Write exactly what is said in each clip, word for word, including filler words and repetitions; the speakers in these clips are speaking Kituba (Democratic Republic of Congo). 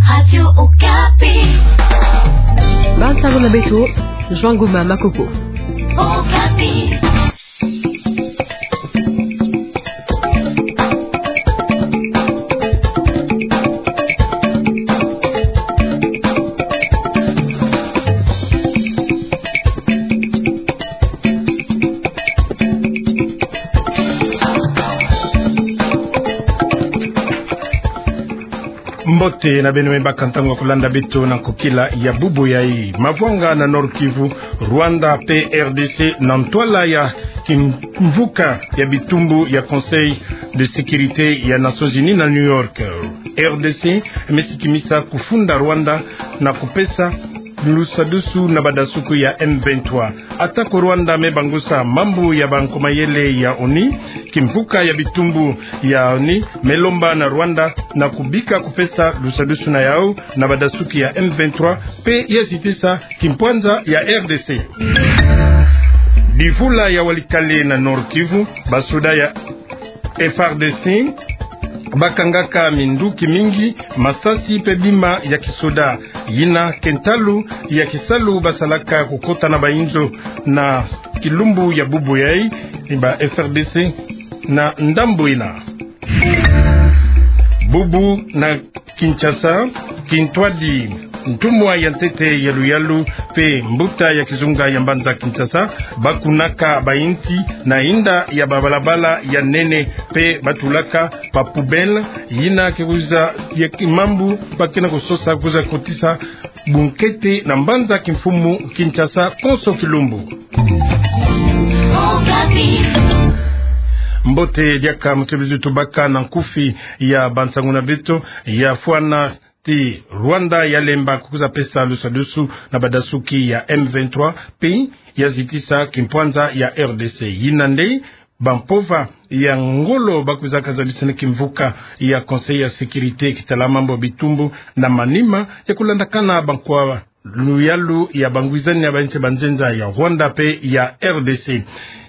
Radio Okapi. Bansango na beto, João Goma Makoko. Okapi. Mbote na beno me baka ntangu ya kulanda beto na nkokila ya bubu yai. Mavwanga na Nord-Kivu, Rwanda pe R D C na ntwala ya kimvuka ya bitumbu ya Conseil de Sécurité ya Nations Unies na New York. R D C me sikimisa kufunda Rwanda na kupesa lusadusu na badasuku ya M vingt-trois. Atako Rwanda me bangusa mambu ya bankomayele ya ONU, kimvuka ya bitumbu ya ONU me lomba na Rwanda na kubika kupesa lusadusu na yau na badasuki ya M vingt-trois pe ya zitisa kimpwanza ya R D C. Divula ya walikale na Nord-Kivu, basoda ya F R D C bakangaka minduki mingi, masasi pe bima ya kisoda. Yina ke ntalu ya kisalu basalaka kukota na bainzo na kilumbu ya bubu yai, ba F R D C na ndambu yina. Bubu na Kinshasa, kintwadi ntumwa ya ntete ya luyalu pe mbuta ya kizunga ya mbanza Kinshasa bakunaka bainti na inda ya babalabala ya nene pe batulaka ba poubelle, yina ke kwiza ya kimambu ba ke na kusosa kwiza kotisa bunkete na mbanza kimfumu Kinshasa konso kilumbu. Mbote diaka mutebezi tubaka na nkufi ya bansangu na beto ya fwana ti Rwanda ya lemba kwiza pesa lusadusu na badasuki ya M vingt-trois pe ya zitisa kimpwanza ya R D C. Yina nde bampova ya ngolo ba kwiza kazabisana kimvuka ya Conseil ya Sécurité kitala mambu bitumbu na manima ya kulandakana bankwa luyalu ya bangwizani ya bainti banzenza ya Rwanda pe ya R D C.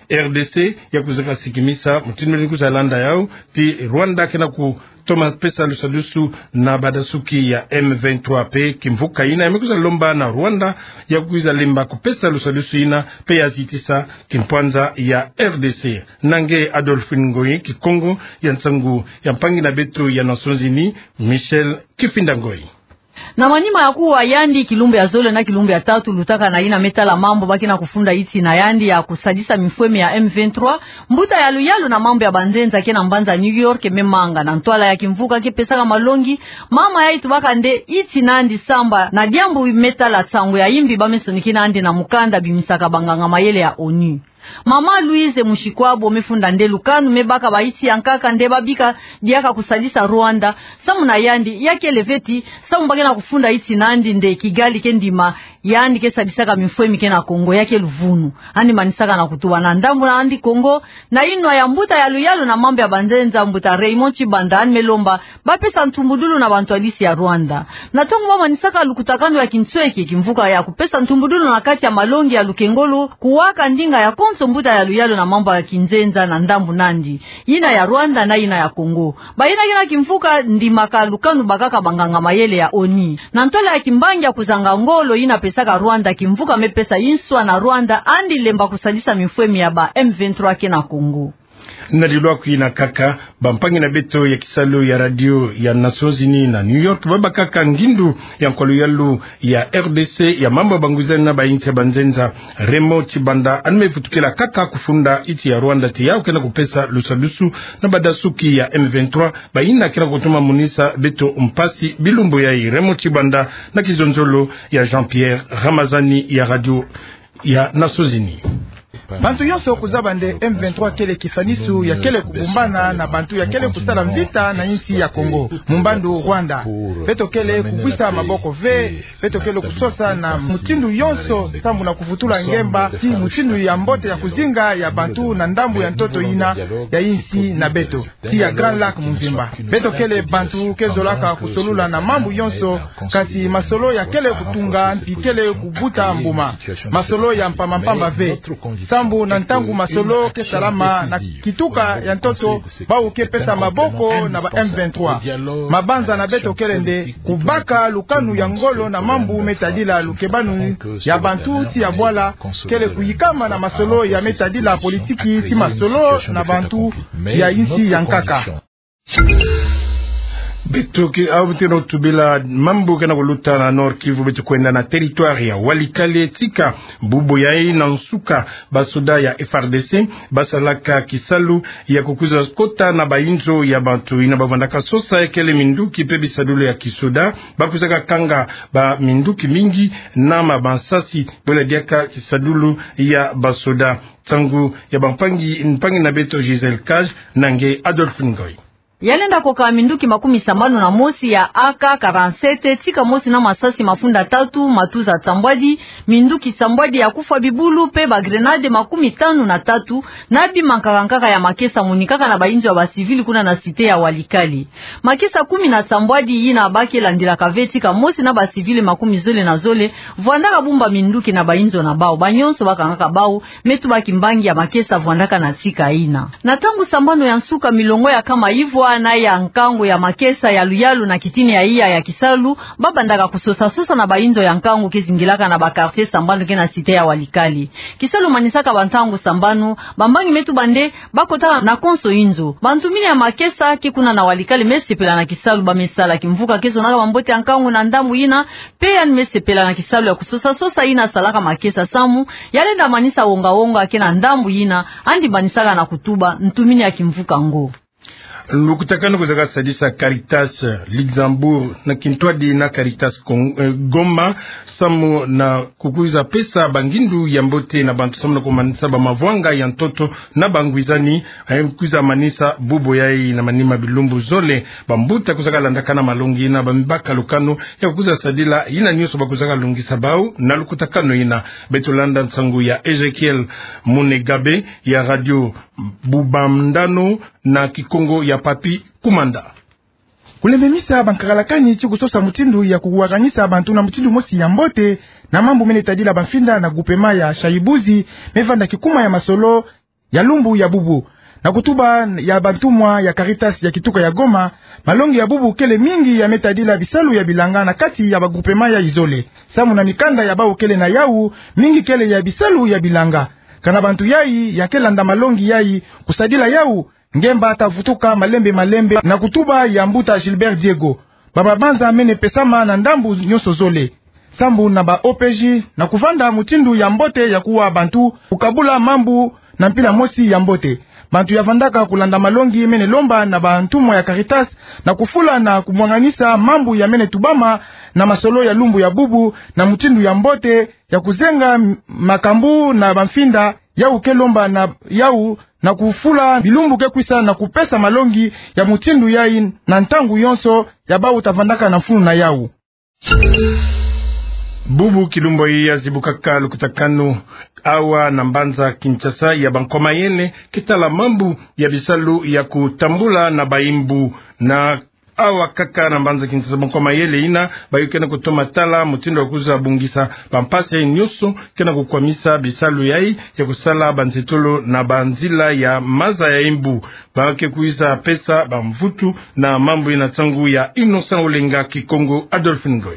R D C ya kwiza kasikimisa mutindu ni kwiza landa yau ti Rwanda ke na kutoma pesa lusadusu na badasuki ya M vingt-trois pe kimvuka yina ya me kwiza lomba na Rwanda ya kwiza lemba kupesa lusadusu yina pe ya zitisa kimpwanza ya R D C. Na nge Adolphine Ngoyi, Kikongo ya nsangu ya mpangi na beto ya Nations Unies, Michel Kifinda Ngoyi. Na manima ya kuwa yandi kilumbu ya zole na kilumbu ya tatu lutaka na yina me tala mambu ba ke na kufunda inti na yandi ya kusadisa mifwemi ya M vingt-trois, mbuta ya luyalu na mambu ya banzenza ke na mbanza New York me manga na ntwala ya kimvuka ke pesaka malongi, mama yai tubaka nde inti nandi samba na diambu me tala nsangu ya imbi ba me sonikina nandi na mukanda bimisaka banganga mayele ya ONU. Mama Louise Mushikwabo me funda nde lukanu me baka bainti ya nkaka nde ba bika diaka kusadisa Rwanda, samu na yandi ya kele ve ti samu ba ke na kufunda inti nandi nde Kigali ke ndima yandi ke sadisaka mifwemi ke na Congo, ya ke luvunu. Yandi manisaka na kutuba na ndambu na yandi Congo, na inwa ya mbuta ya luyalu na mambu ya banzenza, mbuta Raymond Tshibanda, yandi me lomba ba pesa ntumbudulu na bantwadisi ya Rwanda. Na ntangu ba manisaka lukutakanu ya kinsweki, kimvuka ya kupesa ntumbudulu na kati ya malongi ya lukengolo, kuwaka ndinga ya konso mbuta ya luyalu na mambu ya kinzenza na ndambu nandi, yina ya Rwanda na yina ya Congo. Ba yina ke na kimvuka ndimaka lukanu bakaka banganga mayele ya ONU. Na ntwala ya kimbangi ya kuzanga ngolo yina pesaka Rwanda, kimvuka me pesa inswa na Rwanda yandi lemba kusadisa mifwemi ya ba M vingt-trois ke na Congo. Na dilwa kwina kaka, bampangi na beto ya kisalu ya radio ya Nations Unies na New York ba bakaka ngindu ya nkwa luyalu ya R D C ya mambu ya bangwizani na bainti ya banzenza, Raymond Tshibanda, yandi me vutukila kaka kufunda inti ya Rwanda ti yau ke na kupesa lusadusu na badasuki ya M vingt-trois, ba yina ke na kutuma monisa beto mpasi bilumbu yai. Raymond Tshibanda na kizonzolo ya Jean-Pierre Ramazani ya radio ya Nations Unies. Bantu yonso kuzaba nde M vingt-trois kele kisanisu ya kele kubumbana na bantu ya kele kusala mvita na insi ya Congo, mumbandu Rwanda. Beto kele kubwisa maboko ve, beto kele kusosa na mutindu yonso sambu na kuvutula ngemba ti mutindu ya mbote ya kuzinga ya bantu na ndambu ya ntoto yina ya insi na beto ti ya Grand Lac mvimba. Beto kele bantu ke zolaka kusolula na mambu yonso, kasi masolo ya kele kutunga mpi kele kubuta mbuma. Masolo ya mpamba mpamba ve. Sambu na ntangu masolo ke salama na kituka ya ntoto, bawu ke pesa maboko na ba M vingt-trois. Mabanza na beto kele nde kubaka lukanu ya ngolo na mambu me tadila lukebanu ya bantu ti ya bwala, kele kuyikama na masolo ya me tadila politiki ti masolo na bantu ya insi ya nkaka. Beto ke, awu beto ke na kutubila mambu ke na kuluta na Nord-Kivu, beto kwenda na territoire ya Walikale. Tika bubu yayi na nsuka, basoda ya F R D C basalaka kisalu ya kukwiza kota na bainzo ya bantu yina bavandaka sosa, kele minduki pe bisadulu ya kisoda. Bakwizaka kanga baminduki mingi na mabansasi, bwela diaka kisadulu ya basoda. Nsangu ya bampangi, mpangi na beto Gisèle Cage na nge Adolphe Ngoy. Ya lenda koka minduki makumi sambanu na mosi ya A K quarante-sept, tika mosi na masasi mafunda tatu, matuza sambwadi, minduki sambwadi ya kufwa bibulu, pe ba grenade makumi tanu na tatu, na bima nkaka nkaka ya makesa monikaka na bainzo ya ba civil kuna na cité ya Walikale. Makesa kumi na sambwadi yina ba ke landilaka ve, tika mosi na ba civil makumi zole na zole vwandaka bumba minduki na bainzo na bawu. Banyonso bakangaka bawu, me tuba kimbangi ya makesa vwandaka na tika yina. Na ntangu sambanu ya nsuka, milongo ya nkama ivwa na ya nkangu ya makesa ya luyalu na kitini ya iya ya kisalu, babandaka kusosa sosa na bainzo ya nkangu ke zingilaka na ba quartier sambanu ke na cité ya Walikale. Kisalu manisaka ba ntangu sambanu, bampangi me tuba nde bakotaka na konso inzo. Bantumini ya makesa ke kuna na Walikale me sepela na kisalu ba me sala. Kimvuka ke zonaka bambote ya nkangu na ndambu yina, pe yandi me sepela na kisalu ya kusosa sosa yina salaka makesa, samu ya lenda manisa wonga wonga ke na ndambu yina, yandi manisaka na kutuba ntumini ya kimvuka ngo. Lukutakanu kwizaka sadisa Caritas Luxembourg na kintwadi na Caritas Con-, eh, Goma, samu na kukwiza pesa bangindu ya mbote na bantu, samu na kumanisa bamavwanga ya ntoto na bangwizani, eh, kwiza manisa bubu yayi na manima bilumbu zole. Bambuta kwizaka landakana malongi yina, ba me baka lukanu ya kukwiza sadila yina nyonso bakwizaka lungisa bawu na lukutakanu yina. Beto landa nsangu ya Ezekiel Munegabe ya Radio Bubandano na Kikongo ya Papy Kumanda. Kulembemisa bankakalakani ti kusosa mutindu ya kuwakanisa bantu na mutindu mosi ya mbote na mambu mene tadila bamfinda na groupement ya Shayibuzi, me vanda kikuma ya masolo ya lumbu ya bubu. Na kutuba ya bantumwa ya Caritas ya kituka ya Goma, malongi ya bubu kele mingi ya me tadila bisalu ya bilanga na kati ya ba groupement yayi zole. Samu na mikanda ya bawu kele na yawu, mingi kele ya bisalu ya bilanga. Kana bantu yayi ya ke landa malongi yayi, kusadila yawu, ngemba ta vutuka malembe malembe, na kutuba ya mbuta Gilbert Diego. Bamabanza mene pesama na ndambu nyonso zole, sambu na ba O P J, na kuvanda mutindu ya mbote ya kuwa bantu, kukabula mambu na mpila mosi ya mbote. Bantu ya vandaka kulanda malongi mene lomba na bantumwa ya Caritas na kufula na kumwanganisa mambu ya mene tubama na masolo ya lumbu ya bubu na mutindu ya mbote, ya kuzenga m-, makambu na bamfinda yawu ke lomba na yawu, na kufula bilumbu ke kwisa na kupesa malongi ya mutindu yayi na ntangu yonso ya bawu ta vandaka na mfunu na yawu. Bubu kilumbu yayi ya zibukaka lukutakanu awa na mbanza Kinshasa ya bankwa mayele ke tala mambu ya bisalu ya kutambula na bayimbu. Na awa kaka na mbanza Kinshasa, bankwa mayele yina bayo ke na kutoma tala mutindu ya kwiza bungisa bampasi yayi nyonso ke na kukwamisa bisalu yayi ya kusala banzetolo na banzila ya maza ya yimbu. Ba ke kwiza pesa bamvutu na mambu yina, nsangu ya Innocent Olenga, Kikongo Adolphe Ngoy.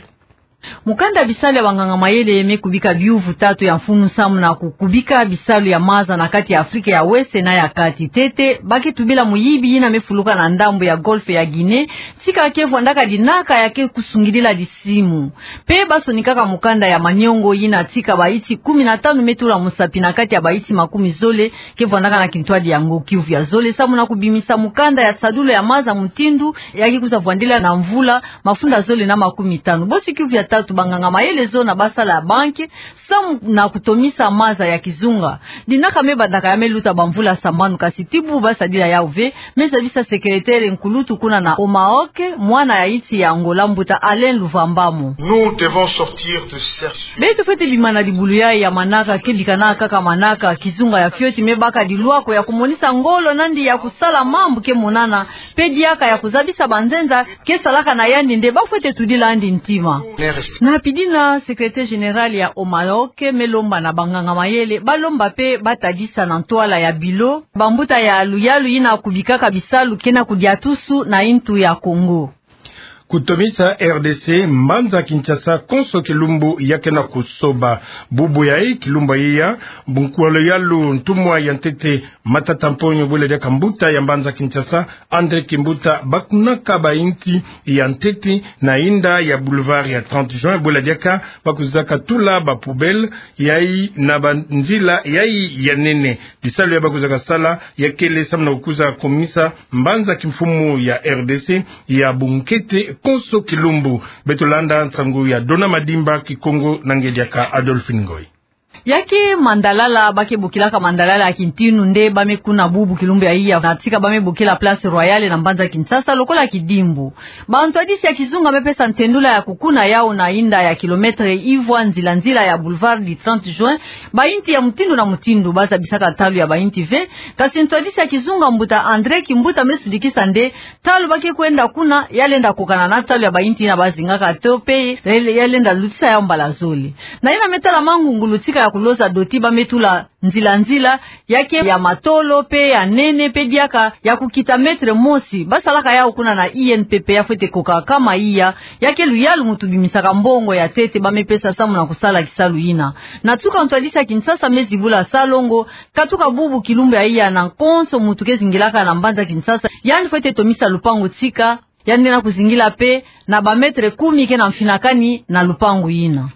Mukanda bisalu ya banganga mayele me kubika biyuvu tatu ya mfunu samu na kukubika bisalu ya maza na kati ya Afrika ya West na ya Kati. Ntete, ba ke tubila muyibi yina me fuluka na ndambu ya Golfe ya Guinée, tika ke vwandaka dinaka ya ke kusungidila disimu. Pe ba sonikaka mukanda ya maniongo yina tika bayinti kumi na tanu me tula musapi na kati ya bayinti makumi zole ke vwandaka na kintwadi ya Nord-Kivu ya zole, samu na kubimisa mukanda ya sadulu ya maza mutindu ya ke kwiza vwandila na mvula mafunda zole na makumi tanu. Bosi kiuvu ya tatu, banganga mayele zona ba sala ya banki samu na kutomisa maza ya kizunga. Dinaka me bandaka ya me luta bamvula sambanu, kasi ti bubu ba sadila yawu ve, me zabisa sekeletere nkulutu kuna na Omaoke, mwana ya insi ya Angola, mbuta Alain Luvambamo. Nous devons sortir de cercle. Beto fwete bima na dibulu yayi ya manaka, ke bikana kaka manaka, kizunga ya fioti me baka dilwako ya kumonisa ngolo nandi ya kusala mambu ke monana, pe diaka ya kuzabisa banzenza ke salaka na yandi nde ba fwete tudila yandi ntima. Na pidina, secrétaire général ya OMAOC me lomba na banganga-mayele, balomba pe batadisa na ntwala ya bilo bambuta ya luyalu yina kubikaka bisalu ke na kudiatusu na ntu ya Kongo. Kutomisa R D C, mbanza Kinshasa konso kilumbu ya ke na kusoba. Bubu yayi, kilumbu yayi ya bunkuwa luyalu ntumwa ya ntete Matata Mponyo, bwela diaka mbuta ya mbanza Kinshasa, André Kimbuta, bakunaka bayinti ya ntete na yinda ya boulevard ya trente juin, bwela diaka bakuzaka tula ba poubelle yayi na banzila yayi ya nene. Bisalu ya bakuzaka sala ya kele samu na kukuza komisa mbanza kimfumu ya R D C ya bunkete konso kilumbu. Beto landa nsangu ya Dona Madimba, Kikongo na nge diaka Adolphine Ngoy. Ya ke mandalala, ba ke bokilaka mandalala ya kintinu nde ba me kuna bubu kilumbu yayi ya, na tika ba me bokila Place Royale na mbanza Kinshasa lokola kidimbu. Bantwadisi ya kizunga me pesa ntendula ya kukuna yawu na yinda ya kilomètre ivwa nzila-nzila ya boulevard du trente juin, bayinti ya mutindu na mutindu, ba zabisaka ntalu ya bayinti ve. Kasi ntwadisi ya kizunga mbuta André Kimbuta me sudikisa nde ntalu ba ke kwenda kuna ya lenda kokana na ntalu ya bayinti yina ba zingaka to pe ya lenda lutisa yawu mbala zole. Na yina me tala mangungulu tika ya kuloza doti, ba me tula nzila-nzila, ya ke ya matolo pe ya nene pe diaka ya kukita mètre mosi. Ba salaka yawu kuna na I N P P, ya fwete koka kama iya, ya ke luyalu mutu bimisaka mbongo ya ntete ba me pesa samu na kusala kisalu yina. Na tuka ntwadisi ya Kinshasa me zibula salongo, katuka bubu kilumbu yayi ya na konso mutu ke zingilaka na mbanza Kinshasa, yandi fwete tomisa lupangu tika, yandi na kuzingila pe na ba mètre kumi ke na mfinakani na lupangu yina.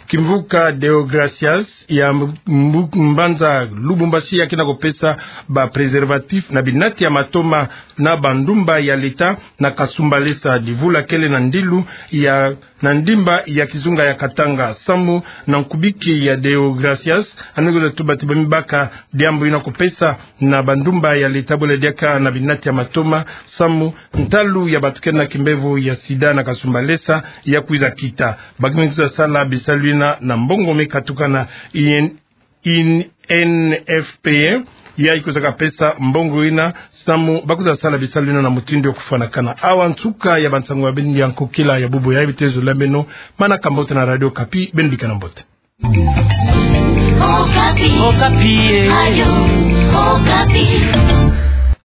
Kimvuka Deogracias ya mbu-, mbanza Lubumbashi ya ke na kupesa ba préservatif na binati ya matoma na bandumba ya leta na Kasumbalesa. Divula kele na ndilu ya, na ndimba ya kizunga ya Katanga, samu na nkubiki ya Deogracias, yandi kwiza tuba ti ba me baka diambu yina kupesa na bandumba ya leta, bwela diaka na binati ya matoma, samu ntalu ya batukene na kimbevo ya sida na Kasumbalesa ya kwiza kita. Ba ke kwiza sala bisalu yina na mbongo me katuka na I N, I N F P A, yayi kwizaka pesa mbongo yina samu ba kwiza sala bisalu yina na mutindu ya kufwanakana. Awa nsuka ya bansangu ya beno ya nkokila ya bubu yayi. Bitezo la beno, manaka mbote na Radio Okapi, beno bikana mbote. Okapi. Okapi, eh. Radio Okapi.